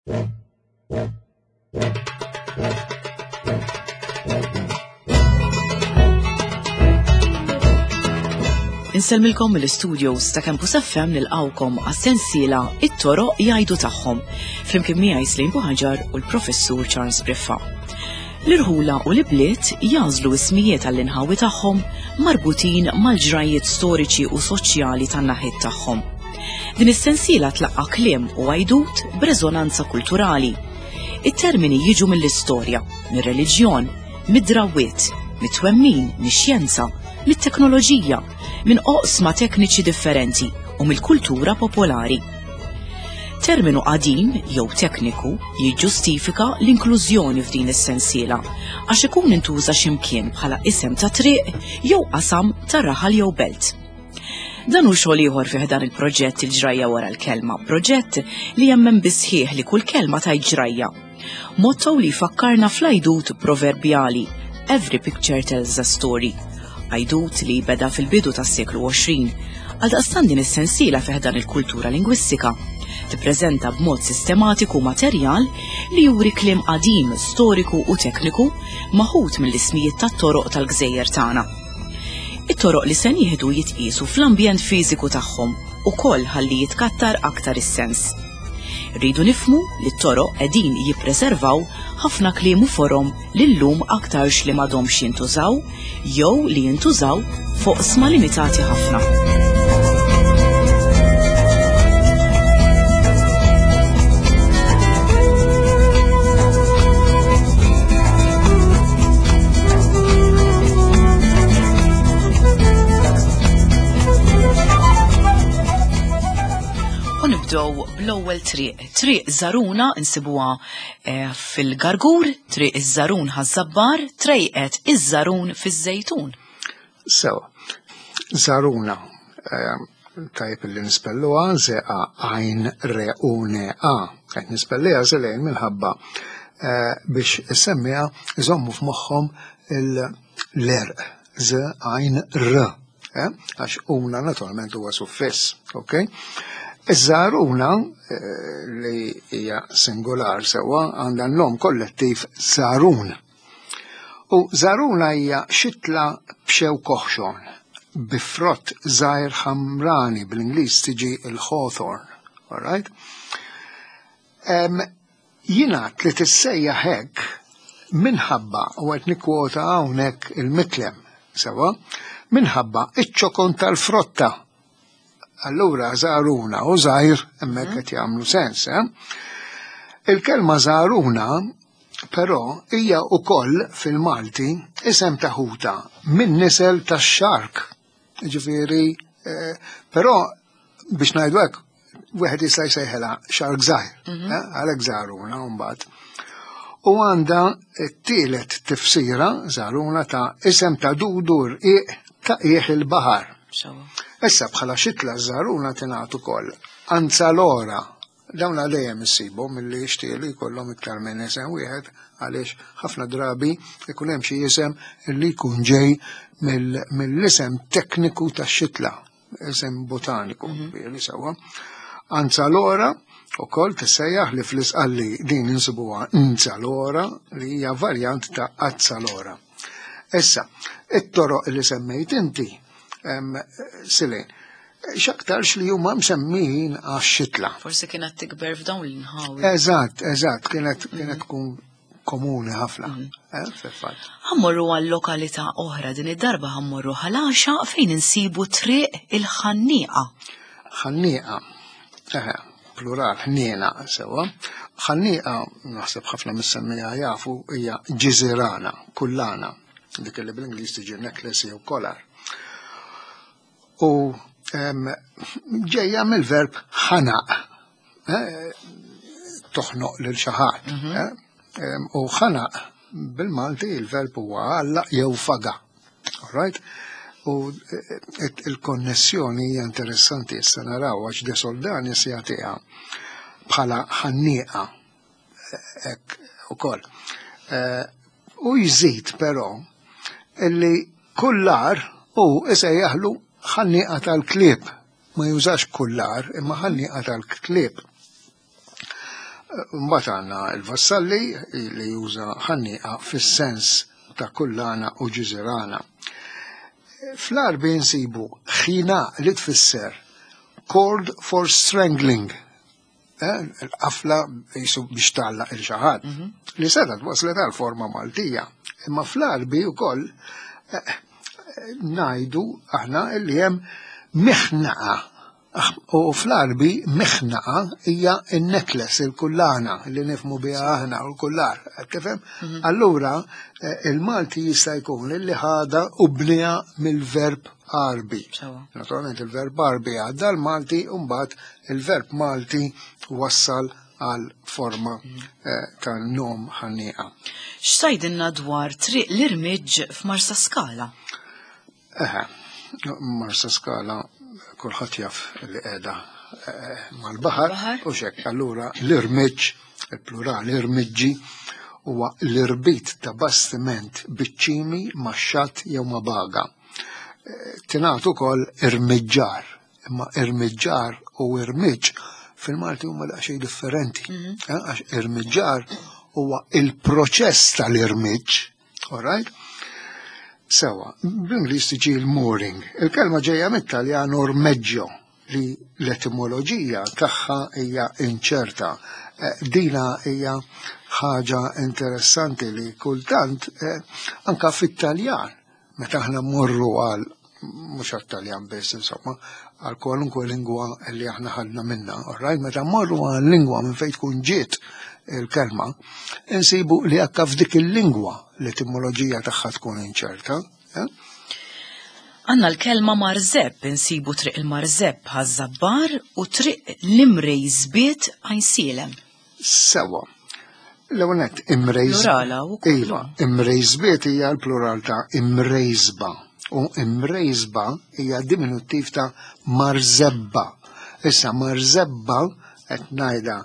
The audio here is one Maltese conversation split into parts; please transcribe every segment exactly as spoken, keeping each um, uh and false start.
Insellmilkom mill-studios ta' Campus F M nilqawkom għas-sensiela It-Toroq Jgħidu Tagħhom, flimkien miegħi Slim Buħaġar u l-Professur Charles Briffa. L-irħula u l-ibliet jażlu ismijiet għall-inħawi tagħhom marbutin mal-ġrajiet storiċi u soċjali tan-naħiet tagħhom. Din is-sensiela tlaqqa' kliem u għajdut b'reżonanza kulturali. It-termini jiġu mill-istorja, mir-reliġjon, mid-drawwiet, mit-twemmin, mix-xjenza, mit-teknoloġija, minn oqsma tekniċi differenti u mill-kultura popolari. Terminu qadim jew tekniku jiġġustifika l-inklużjoni f'din is-sensiela għax ikun intuża x'imkien bħala isem ta' triq jew qasam ta' raħal jew belt. Dan hu xogħol ieħor fih dan il-proġett Il-Ġrajja Wara l-Kelma, proġett li jemmen bisħieħ li kull kelma tajt ġrajja. Motto li jfakkarna fl-għajdut proverbjali Every picture tells a story. Għajdut li beda fil-bidu tas-seklu għoxrin, għaldaqstant din is-sensiela fih dan il-kultura lingwistika tippreżenta b'mod sistematiku materjal li juri kliem qadim, storiku u tekniku maħut mill-ismijiet tat-toroq tal-gżejjer tagħna. It-toroq li se nieħdu jitqiesu fl-ambjent fiżiku tagħhom ukoll ħalli jitkattar aktar is-sens. Rridu nifhmu li t-toroq qegħdin jippreservaw ħafna kliem u forom li llum aktarx li m'għadhomx jintużaw jew li jintużaw fuq sma limitati ħafna. U nibdew bl-ewwel triq. Triq Żaruna insibuha, eh, fil-Gargur, Triq iż-Żarun Ħaż-Żabbar, Trejqet iż-Żarun fiż-Żejtun. Sewa, Żaruna, eh, tajjeb li nispelluha Z A għajn R U N A. Qed nispelliha żelejn minħabba, eh, biex issemmiha iżommu f'moħħhom l-erq Z għajn R, eh, għax una naturalment huwa suffiss, ok? Iż-żaruna, eh, li hija singular sewwa għandha n-nom kollettiv żarun. U żaruna hija xitla b'xew koħxon, bi frott żgħir ħamrani, bl-Ingliż tiġi il-hawthorn, all right? Em, jingħad li tissejjaħ hekk minħabba, u qed nikkwota hawnhekk il-mitlem, sewwa, minħabba iċ-ċokon tal-frotta. Allura żaruna u żgħir hemmhekk qed jagħmlu sens, eh? Il-kelma żaruna però hija wkoll fil-Malti isem ta' ħuta minn nisel tax-xark. Ġifieri, eh, però biex ngħidu hekk wieħed jista' jsejħilha xark żgħir, Mhm. eh, għalhekk żaruna mbagħad. U għandha t-tielet tifsira żaruna ta' isem ta' dudu rqiq ta' qiegħ il-baħar. Sewa. Issa bħala xitla żaruna tingħad ukoll anzalora. Dawn dejjem issibhom milli jixtiequ jkollhom iktar minn isem wieħed għaliex ħafna drabi ikun hemm xi isem li jkun ġej mill-, mill-isem tekniku tax-xitla, isem botaniku, Mhm. ġifieri sewwa. Anzalora ukoll tissejjaħ li fl-Isqalli din insibuha nzalora li hija varjant ta' azzalora. Issa, it-toroq li semmejt inti, em, Silin, x'aktarx li huma msemmijin għax-xitla. Forsi kienet tikber f'dawn l-inħawi. Eżatt, eżatt, kienet, kienet tkun komuni ħafna, Mhm. eh, fil-fatt. Ħammorru għal lokalità oħra din id-darba ħammorru Ħal-Għaxaq fejn insibu triq il-Ħannieqa. Ħannieqa, eħe, plural, ħniena sewwa. Ħannieqa, naħseb ħafna mis-semmija jafu, hija ġiżirana, kullana, dik li bl-Ingliż tiġi necklace jew collar. U, em, ġejja mill-verb ħanaq, eh, toħnoq lil xi ħadd, Mhm. eh, em, u ħanaq bil-Malti il-verb huwa għallaq jew faga. All right? U, eh, eh, il-konnessjoni hija interessanti issa naraw għax De Soldanis se jagħtiha bħala ħannieqa, eh, hekk ukoll. Eh, u jżid però illi kullar u isejjaħlu ħannieqa tal-klieb. Ma jużax kullar imma ħannieqa tal-klieb. Mbagħad għandna l-Vassalli li juża ħannieqa fis-sens ta' kullana u ġiżirana. Fl-Għarbi nsibu ħina li tfisser cord for strangling, il-qafla jisu biex tgħallaq lil xi ħadd, li setgħet waslet għal forma Maltija. Imma fl-Għarbi wkoll ngħidu aħna li hemm miħnaqa. U fl-Għarbi miħnaqa hija n-necklace, il-kullana li nifhmu biha aħna u l-kullar. Tifhem? Allura il-Malti jista' jkun li ħada u bniha mill-verb Għarbi. Naturalment il-verb Għarbi għadda l-Malti u mbagħad il-verb Malti wassal għal forma ta' nom ħannieqa. X'tgħidilna dwar Triq l-Irmiġġ f'Marsa Skala? Eħe, Marsa Skala kulħadd jaf li qiegħda mal-baħar u xek. Allura l-irmiġġ, il-plural irmiġġi, huwa l-irbit ta' bastiment biċ-ċimi ma' xatt jew ma' baga. Tingħad ukoll irmiġġar, imma irmiġġar u irmiġġ fil-Malti huma daqsxejn differenti. Għax irmiġġar huwa il-proċess tal-irmiġġ, all right? Sewa, bl-Ingliż tiġi l-mooring. Il-kelma ġejja mit-Taljan ormeggio, li l-etimoloġija tagħha hija inċerta. Dina hija ħaġa interessanti li kultant anka fit-Taljan, meta aħna mmorru għal mhux għat-Taljan biss, insomma, għal kwalunkwe lingwa li aħna ħadna minna, all right? Meta mmorru għal lingwa minn fejn tkun ġiet il-kelma, insibu li anka f'dik il-lingwa l-etimoloġija tagħha tkun inċerta. Għandna l-kelma marżeb, insibu Triq il-Marżeb Ħaż-Żabbar u Triq l-Imrejżbiet Għajnsielem. Sewa. L-ewwel nett imrejż. Plurala wkoll. Iva, imrejżbiet hija l-plural ta' imrejżba u imrejżba hija diminuttiv ta' marzebba. Issa marzebba qed ngħidha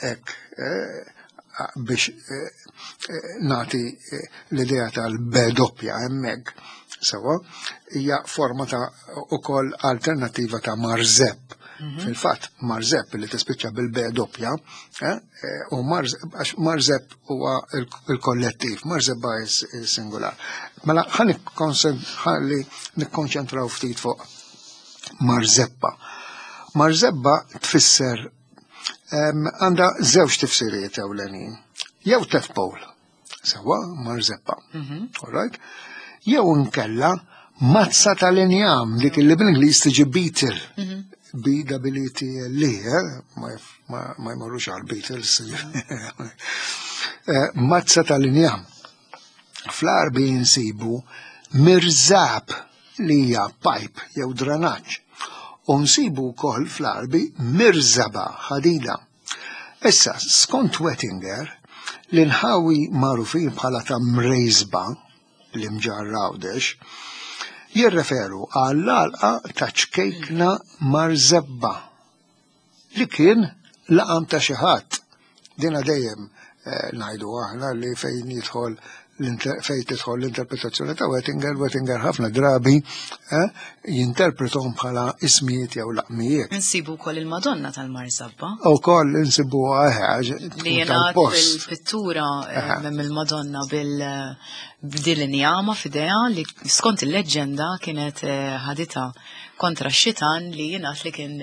hekk biex nagħti l-idea tal-B doppja hemmhekk. Sewa, hija forma ta' ukoll alternattiva ta' marżeb. Fil-fatt, marżeb li tispiċċa bil-B doppja, u għax marżeb huwa il-kollettiv, marzebba il-singular. Mela ħalli nikkonċentraw ftit fuq marzebba. Marzebba tfisser għandha żewġ tifsiriet ewlenin. Jew tadpole, sewa marzebba. All right? Jew nkella mazza tal-injam, dik li bl-Ingliż tiġi beetle. B W T L E, ma jmorrux għal Beatles. Mazza tal-injam. Fl-Għarbi nsibu mirzab li hija pipe jew dranaġġ. U nsibu wkoll fl-Għarbi mirzaba ħadida. Issa, skont Wettinger, l-inħawi magħrufin bħala ta' Mrejżba, l-Imġarr Għawdex, jirreferu għall-għalqa ta' ċkejkna Marzebba li kien laqam ta' xi ħadd. Dina dejjem ngħidu aħna li fejn jidħol fejn tidħol l-interpretazzjoni ta' Wettinger, Wettinger ħafna drabi jinterpretom bħala ismijiet jew laqmijiet. Insibu wkoll il-Madonna tal-Marzabba. Ukoll insibuha li jingħad fil-pittura mill-Madonna bil b'dil injama f'idejha li skont il-leġġenda kienet ħaditha kontra x-xitan li jingħad li kien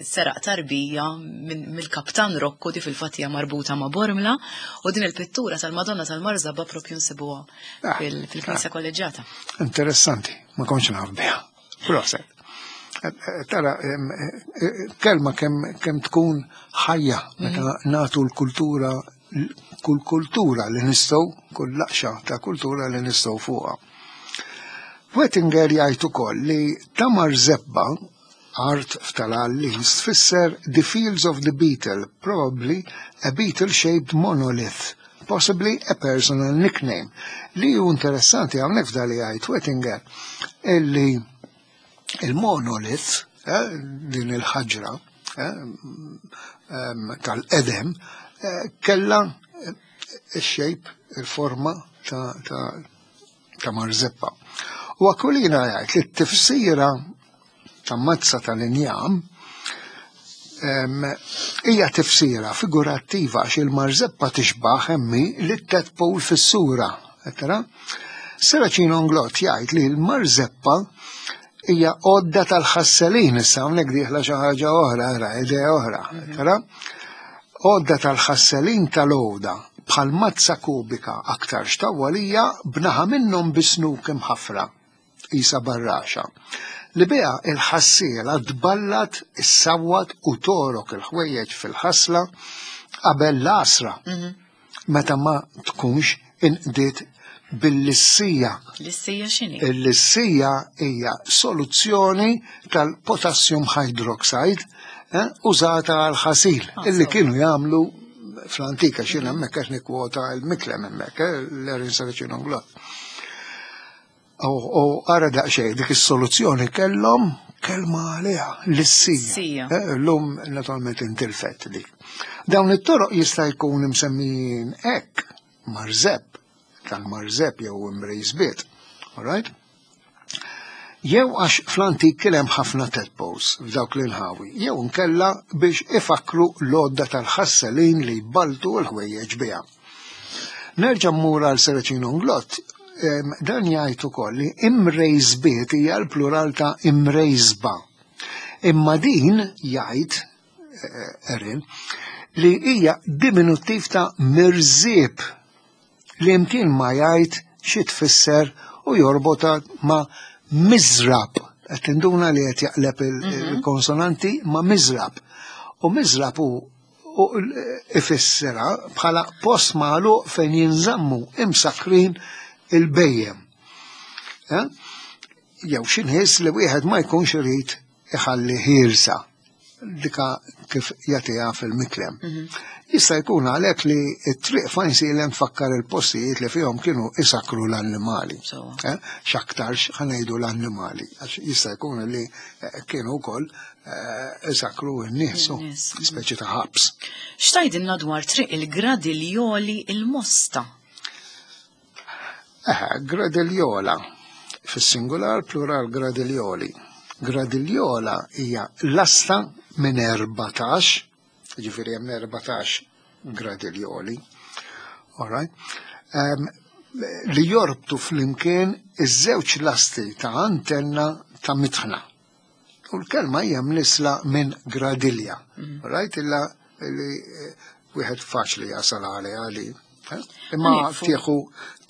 seraq tarbija mill-Kaptan Rocco, di fil-fatt hija marbuta ma' Bormla, u din il-pittura tal-Madonna tal-Marzabba propju nsibuha fil-Knisja Kolleġġjata. Interessanti, ma kontx naf biha. Proset. Tara, kelma kemm tkun ħajja meta nagħtu l-kultura, kull kultura li nistgħu, kull laqxa ta' kultura li nistgħu fuqha. Wettinger jgħid ukoll li ta' Marzebba, art f'tal-Għallis, tfisser the fields of the beetle, probably a beetle-shaped monolith, possibly a personal nickname. Li hu interessanti hawnhekk f'dali jgħid Wettinger, illi il-monolith, eh, din il-ħaġra eh, tal-edem, eh, kella il-shape, il-forma ta', ta, ta' marzeppa. U Aquilina jgħid li t-tifsira ta' mazza tal-injam Hija tifsira figurattiva għax il-marzeppa tixbaħ hemmi li tadpole fis-sura. Serracino Inglott jgħid li l-marzeppa hija għodda tal-ħasselin, issa hawnhekk dieħla xi ħaġa oħra, ara idea oħra, tara? Għodda tal-ħasselin tal-għoda bħal mazza kubika aktar xtawwalija b'naħa minnhom bisnuk imħafra, isa barraxa, li biha il-ħassiela tballat, issawwat u torok il-ħwejjeġ fil-ħasla qabel l-għasra, meta ma tkunx inqdiet bil-lissija. Lissija x'inhi? Il-lissija hija soluzzjoni tal-potassium hydroxide eh, użata għal ħasil Ah, illi so. kienu jagħmlu fl-antika x'jien hemmhekk qed nikkwota l-Miklem hemmhekk, eh, l-Erin Serracino Inglott. U ara daqsxejn dik is-soluzzjoni kellhom kelma għaliha, lissija. Lissija. Eh, Llum naturalment intilfet dik. Dawn it-toroq jista' jkun imsemmijin hekk marzepp, tal-marzepp jew imrejżbiet. All right? Jew għax fl-antik kien hemm ħafna tadpoles f'dawk l-inħawi, jew nkella biex ifakru l-għodda tal-ħasselin li jbaltu l-ħwejjeġ biha. Nerġa' mmur għal Serracino Inglott, em, dan jgħid ukoll li imrejżbiet hija l-plural ta' imrejżba. Imma din jgħid eh, Erin li hija diminuttiv ta' mirżieb li imkien ma jgħid xi tfisser u jorbota ma' miżrab. Qed tinduna li qed jaqleb il-konsonanti ma' miżrab. U miżrab hu u ifissera bħala post magħluq fejn jinżammu imsakrin il-bhejjem. Eh? Jew xi nies li wieħed ma jkunx irid iħalli ħielsa dika kif jagħtiha fil-Miklem. Jista' jkun għalhekk li t-triq f'Għajnsielem tfakkar il-postijiet li fihom kienu isakru l-annimali. Sewwa. Eh? X'aktarx ħa ngħidu l-annimali, għax jista' jkun li eh, kienu wkoll eh, isakru n-nies, u In-nies, mhm. speċi ta' ħabs. X'tgħidilna dwar triq il-Gradiljoli il-Mosta? Eh, Gradiljola, fis-singular plural gradiljoli. Gradiljola hija lasta minn erbatax, ġifieri hemm erbatax gradiljoli, all right? Um, li jorbtu flimkien iż-żewġ lasti ta' antenna ta' mitħna. U l-kelma hija mnisla minn gradilja. All right? Illa li eh, wieħed faċli jasal għaliha li. eh? Imma Ħa nieqfu. tieħu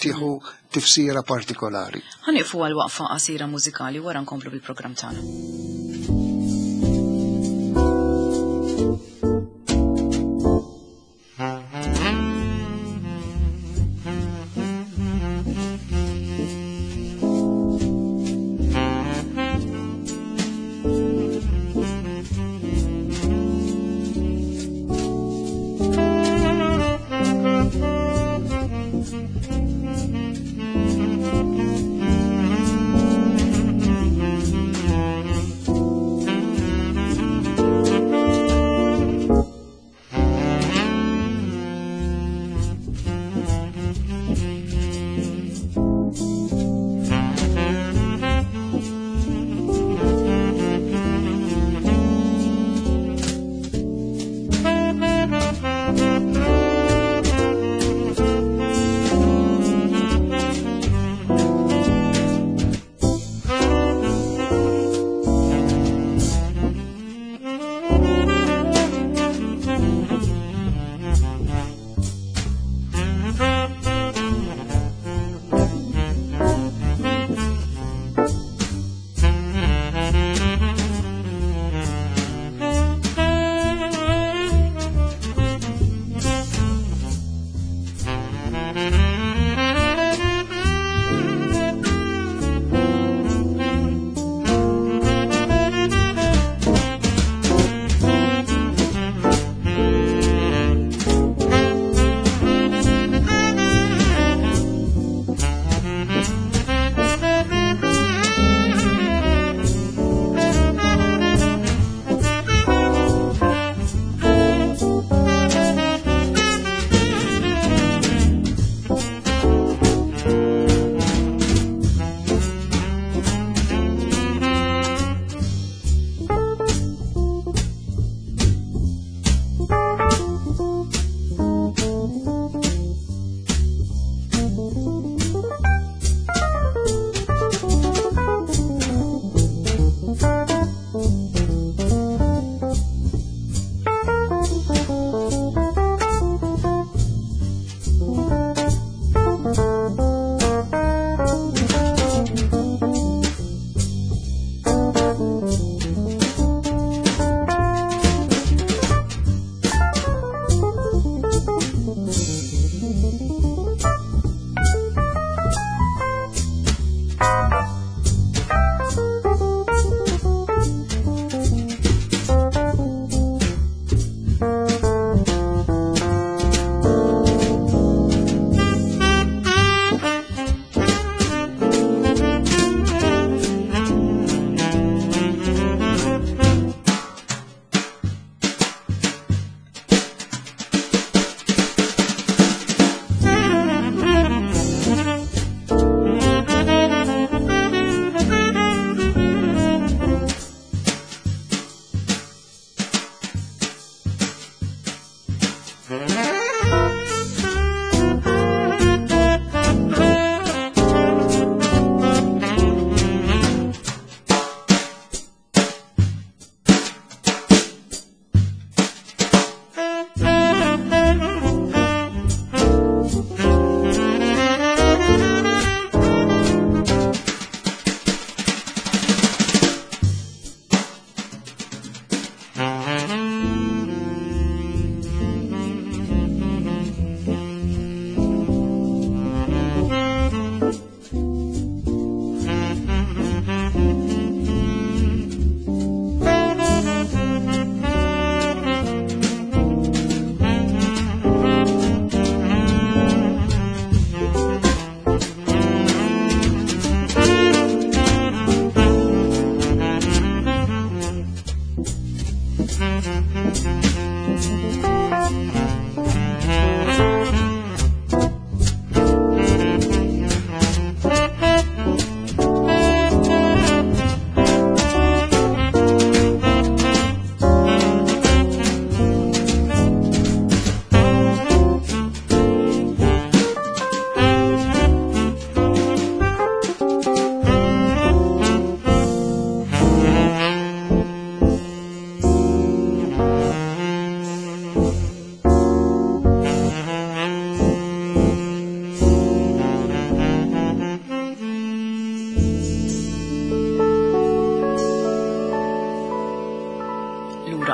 tieħu tifsira partikolari. Ħa nieqfu għal waqfa qasira mużikali wara nkomplu bil-programm tagħna.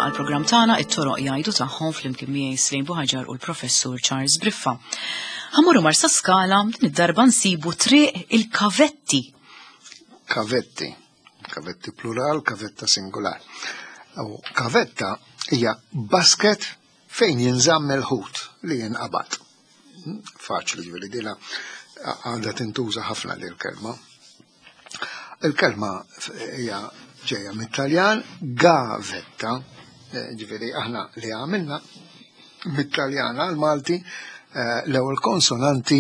Għal-programm tagħna it-toroq jgħidu tagħhom flimkien miegħi Slim Buħaġar u l-Professur Charles Briffa. Ħammorru Marsaskala din id-darba nsibu triq il-kavetti. Kavetti. Kavetti plural, kavetta singular. U kavetta hija basket fejn jinżamm il-ħut li jinqabad. Faċli ġifieri dila għandha tintuża ħafna lil kelma. Il-kelma hija ġejja mit-Taljan gavetta, ġifieri aħna li għamilna mit-Taljan għal-Malti l-ewwel konsonanti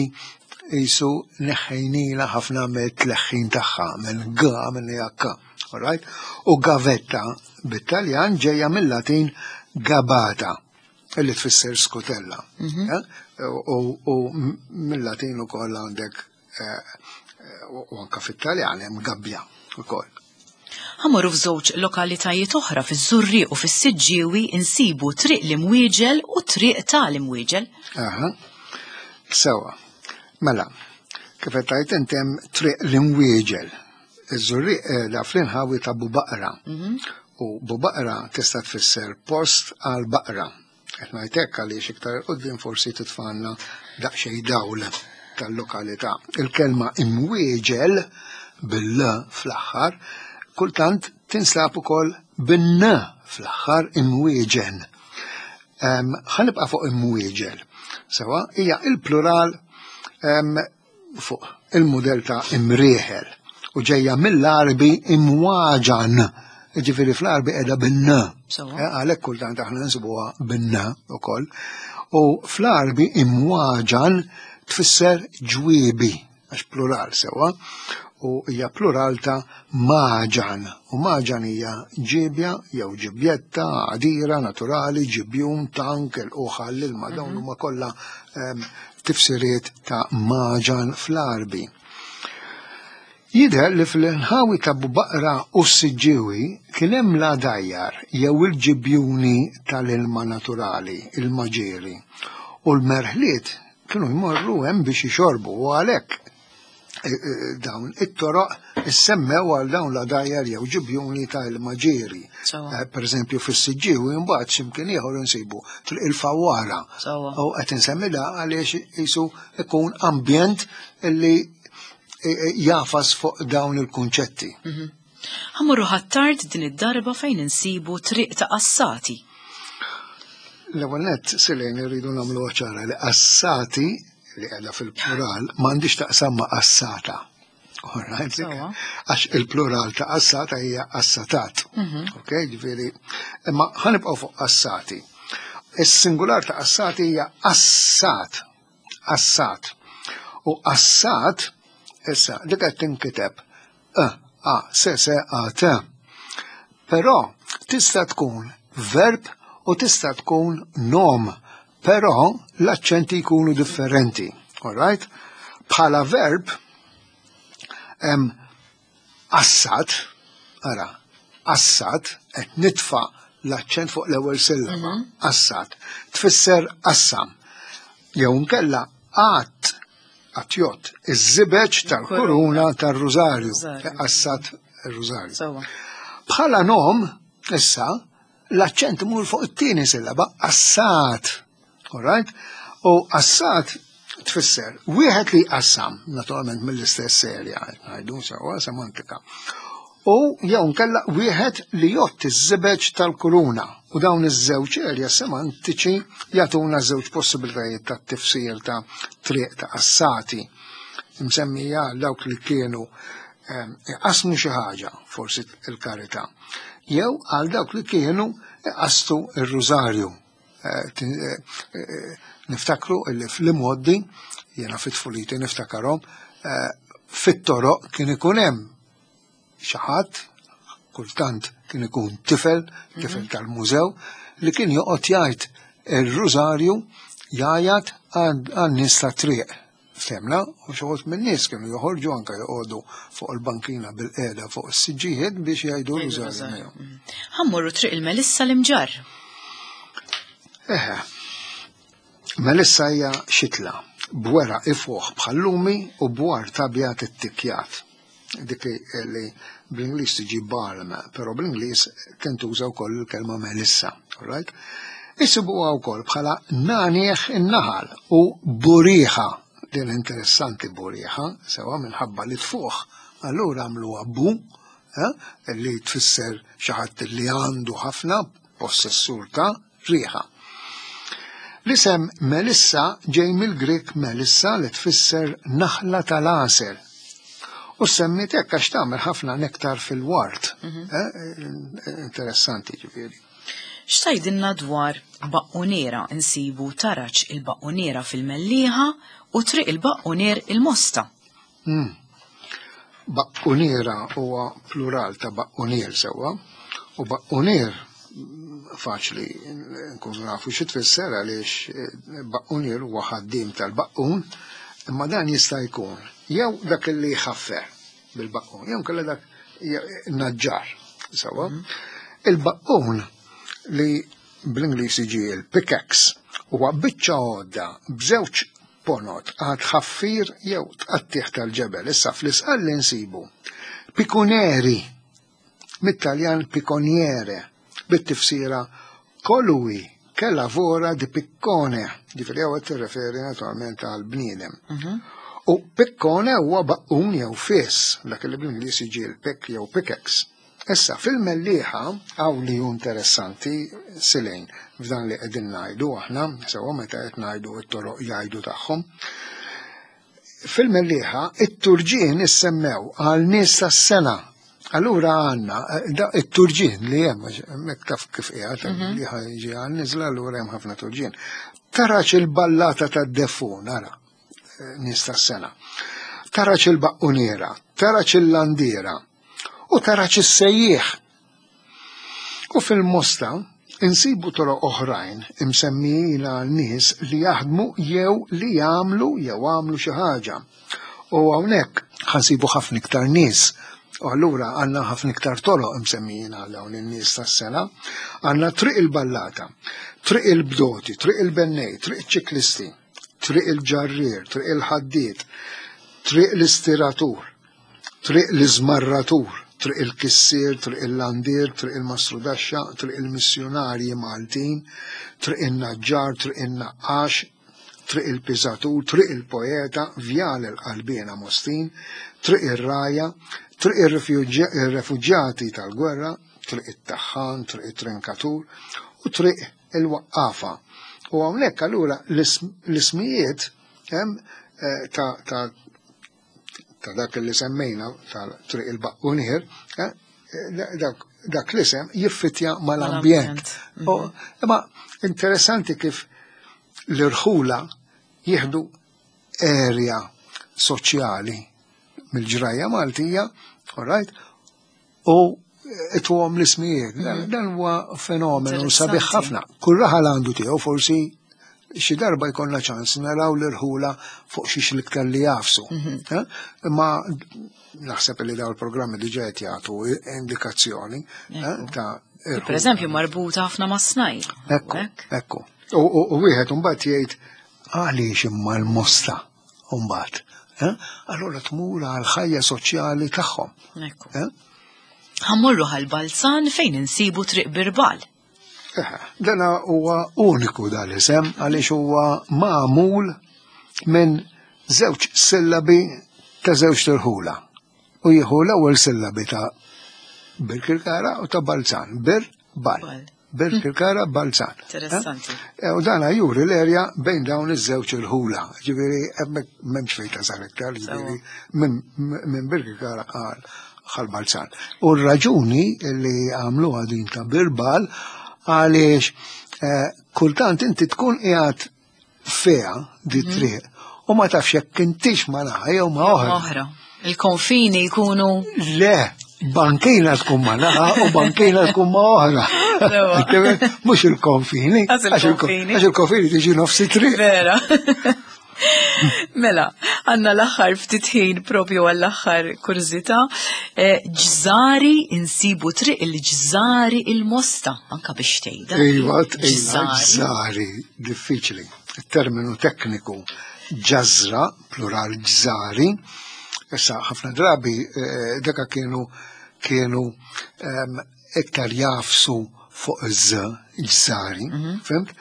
jisu neħħejnila ħafna mit-tleħħin tagħha minn g minn h. All right? U gavetta bit-Taljan ġejja mill-Latin gabata, illi tfisser skutella. U mill-Latin ukoll għandek u anka fit-Taljan hemm gabbja ukoll. Ħammorru f'żewġ lokalitajiet oħra fiż-Żurrieq u fis-Siġġiewi insibu triq l-Imwieġel u triq tal-Imwieġel. Aha. Sewa. Mela, kif qed tgħid int hemm triq l-Imwieġel. Iż-Żurrieq qiegħda fl-inħawi ta' Bubaqra. U Bubaqra tista' tfisser post għal baqra. Qed ngħid hekk għaliex iktar quddiem forsi titfanna daqsxejn dawl tal-lokalità. Il-kelma Imwieġel bil-l fl-aħħar kultant tinsab ukoll bin-n fl-aħħar imwieġen. Ħanibqa' fuq imwieġel. Sewa hija il-plural fuq il-mudell ta' imrieħel u ġejja mill-Arbi imwaġan. Ġifieri fl-Arbi qiegħda bin-n. Għalhekk kultant aħna nsibuha bin-n ukoll. U fl-Arbi imwaġan tfisser ġwiebi, għax plural sewa, u hija plural ta' maġan. U maġan hija ġibja jew ġibjetta, għadira, naturali, ġibjun, tank, il-uħal, l-ilma, dawn huma kollha tifsiriet ta' maġan fl-Arbi. Jidher li fl-inħawi ta' Bubaqra u s-Siġġiewi kien hemm l-għadajjar jew il-ġibjuni tal-ilma naturali, il-maġieri, u l-merħliet kienu jmorru hemm biex jixorbu u għalhekk dawn it-toroq issemmew għal dawn l-għadajjar jew ġibjuni tal-maġieri. Per eżempju fis-Siġġiewi mbagħad x'imkien ieħor insibu triq il-Fawwara. U qed insemmi da għaliex qisu ikun ambjent illi jafas fuq dawn il-kunċetti. Ħammorru Ħ'Attard din id-darba fejn insibu triq ta' Qassati. L-ewwel nett Silejn irridu nagħmlu ċara li Qassati li qiegħda fil-plural m'għandix taqsam ma' qassata. Għax il-plural ta' qassata hija qassatat. Ok, ġifieri, imma ħanibqgħu fuq qassati. Is-singular ta' qassati hija qassat. Qassat. U qassat issa dik qed tinkiteb e a s s a t. Però tista' tkun verb u tista' tkun nom Però l-aċċenti jkunu differenti, all right? Bħala verb, hemm assat, ara, assat, qed nitfa' l-aċċent fuq l-ewwel sillaba, assat, tfisser qassam. Jew nkella għat, għatjot, iż-żibeġ tal-kuruna tar-rużarju, assat ir-rużarju. Sewwa. Bħala nom, issa, l-aċċent imur fuq it-tieni sillaba, assat. All right? U assat tfisser wieħed li jqassam, naturalment mill-istess serja, ngħidu sewwa semantika. U jew nkella wieħed li jgħodd iż-żibeġ tal-kuruna. U dawn iż-żewġ erja semantiċi jagħtuna żewġ possibilitajiet ta' tifsir ta' triq ta' assati. Msemmija dawk li kienu ehm, iqasmu xi ħaġa, forsi il-karità, jew għal dawk li kienu iqastu ir-rużarju. Eh, tin- eh, eh, Niftakru illi fl-imgħoddi, jiena fit-tfuliti niftakarhom, eh, fit-toroq kien ikun hemm xi ħadd, kultant kien ikun tifel, tifel tal-mużew, li kien joqgħod jgħid ir-rużarju jgħajat għan-nies ta' triq. Ftemna, u xi wħud min-nies kienu joħorġu anke joqogħdu fuq il-bankina bil-qiegħda fuq is-siġġijiet biex jgħidu r-rużarju miegħu. Ħa mmorru triq il-Melissa l-Imġarr. Eħe, Melissa hija xitla, b'weraq ifuħ bħal-lumi u b'ward abjad ittikkjat. Dik li li bl-Ingliż tiġi balm, però bl-Ingliż tintuża wkoll il-kelma Melissa, all right? Isibuha wkoll bħala nanieħ in-naħal u buriħa. Din interessanti buriħa, sewa minħabba li tfuħ. Allura għamluha bu, eh, li tfisser xi ħadd li għandu ħafna possessur ta' riħa. L-isem Melissa ġej mill-Grek Melissa li tfisser naħla tal-għasel. U semmiet hekk għax tagħmel ħafna nektar fil-wart. Eh, Interessanti ġifieri. X'tgħidilna dwar baqquniera insibu taraġ il-baqquniera fil-Mellieħa u triq il-Baqqunier il-Mosta. Mm. Baqquniera huwa plural ta' baqqunier sewwa, u baqqunier mm, faċli nkunu nafu xi tfisser għaliex eh, baqqunier huwa ħaddiem tal-baqqun, imma dan jista' jkun jew dak li jħaffer bil-baqqun, jew nkella dak naġġar sewwa. Il-baqqun li bl-Ingliż jiġi il-pickaxe huwa biċċa għodda b'żewġ ponot għal tħaffir jew tqattieħ tal-ġebel. Issa fl-Isqalli nsibu pikuneri mit-Taljan picconiere bit-tifsira colui che lavora di piccone, ġifieri hawn qed tirreferi naturalment għal bniedem. U piccone huwa baqqun jew fis, dak li bl-Ingliż jiġi l-pick jew pickaxe. Issa, fil-Mellieħa, hawn li hu interessanti silejn f'dan li qegħdin ngħidu aħna, sewa meta qed ngħidu t-toroq jgħidu tagħhom. Fil-Mellieħa, it-turġien issemmew għal nies tas-sengħa. Allura għandna it-turġien li hemm, hemmhekk taf kif qiegħed, li jiġi għal niżla, allura hemm ħafna turġien. Taraġ il-ballata tad-defun, ara, nies tas-sengħa. Taraġ il-baqquniera, taraġ il-landiera, u taraġ is-sejjieħ. U fil-Mosta insibu toroq oħrajn imsemmijin għal nies li jaħdmu jew li jagħmlu jew għamlu xi ħaġa. U hawnhekk ħa nsibu ħafna iktar nies. U allura għandna ħafna iktar toroq imsemmijin għal dawn in-nies tas-sengħa. Għandna triq il-ballata, triq il-bdoti, triq il-bennej, triq iċ-ċiklisti, triq il-ġarrier, triq il-ħaddied, triq l-istiratur, triq l-iżmarratur, triq il-kissier, triq il-landier, triq il-mastrudaxxa, triq il-missjonarji Maltin, triq il-naġġar, triq il-naqqax, triq il-piżatur, triq il-poeta, vjal il-qalbiena Mostin, triq ir-raja, triq il-refuġjati tal-gwerra, triq it-taħħan, triq it-trinkatur u triq il-waqqafa. U hawnhekk allura l-ismijiet hemm eh, ta' ta' ta' dak li semmejna tal-triq il-baqqunier, eh, dak, dak l-isem jiffitja mal-ambjent. Mal-ambjent. Imma interessanti kif l-irħula jieħdu area soċjali mill-ġrajja Maltija, all right, u ituhom l-ismijiet. Dan dan huwa fenomenu sabiħ Interessanti. ħafna. Kull raħal għandu tiegħu forsi Xi darba jkollna ċans naraw l-irħula fuq xiex l-iktar li jafsu. Eh? Imma naħseb li daw il-programmi diġà qed jagħtu indikazzjoni eh, ta' Per eżempju, marbuta ħafna ma' snajja'. Ekku, ekku. U, u, u wieħed imbagħad jgħid għaliex imma l-Mosta mbagħad. Eh? Allura tmur għal ħajja soċjali tagħhom. Ekku. Eh? Ħa mmorru Ħal Balzan fejn insibu Triq Birbal. Eh, Dana huwa uniku dal-isem għaliex huwa magħmul minn żewġ sillabi ta' żewġ tirħula. U jieħu l-ewwel sillabi ta' Birkirkara u ta' Balzan. Bir, bal. Bal. Birkirkara, Balzan. Interessanti. Eh, U dana juri l-erja bejn dawn iż-żewġ irħula. Ġifieri hemmhekk m'hemmx fejn tasal iktar, ġifieri minn minn Birkirkara għal Ħal Balzan. U r-raġuni li għamluha din ta' Birbal għaliex eh, kultant inti tkun qiegħed fiha di triq u ma tafx jekk intix ma naħa jew ma oħra. Oħra. Il-konfini jkunu Le, bankina tkun ma naħa u bankina tkun ma oħra. Sewa. Mhux il-konfini. Għax il-konfini. Għax il-konfini tiġi nofs it-triq. Vera. Mela, għandna l-aħħar ftit ħin propju għall-aħħar kurżità. Eh, Ġżari insibu Triq il-Ġżari il-Mosta, anka biex tgħidha. Iva, iva, ġżari, diffiċli. Il-terminu tekniku ġazra, plural ġżari, issa ħafna drabi eh, daka kienu kienu em, iktar jafsu fuq iż ġżari, fhimt?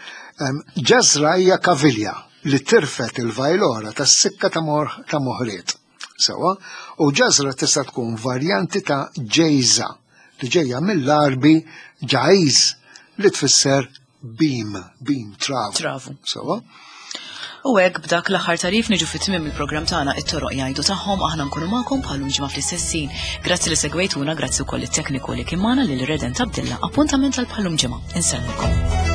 Em, Ġazra hija kavilja li tirfet il-vajlora tas-sikka ta' mor- ta' moħriet. Sewa, u ġazra tista' tkun varjanti ta' ġejza li ġejja mill-Arbi ġajz li tfisser beam, beam, travu. Travu. Sewa? U hekk b'dak l-aħħar tarif niġu fit tmiem il-programm tagħna It-Toroq Jgħidu Tagħhom. Aħna nkunu magħkom bħal ġimgħa fl-istess ħin. Grazzi li segwejtuna, grazzi wkoll it-tekniku li kien magħna lil Redent Abdilla. Appuntament għal bħal ġimgħa. Insellmilkom.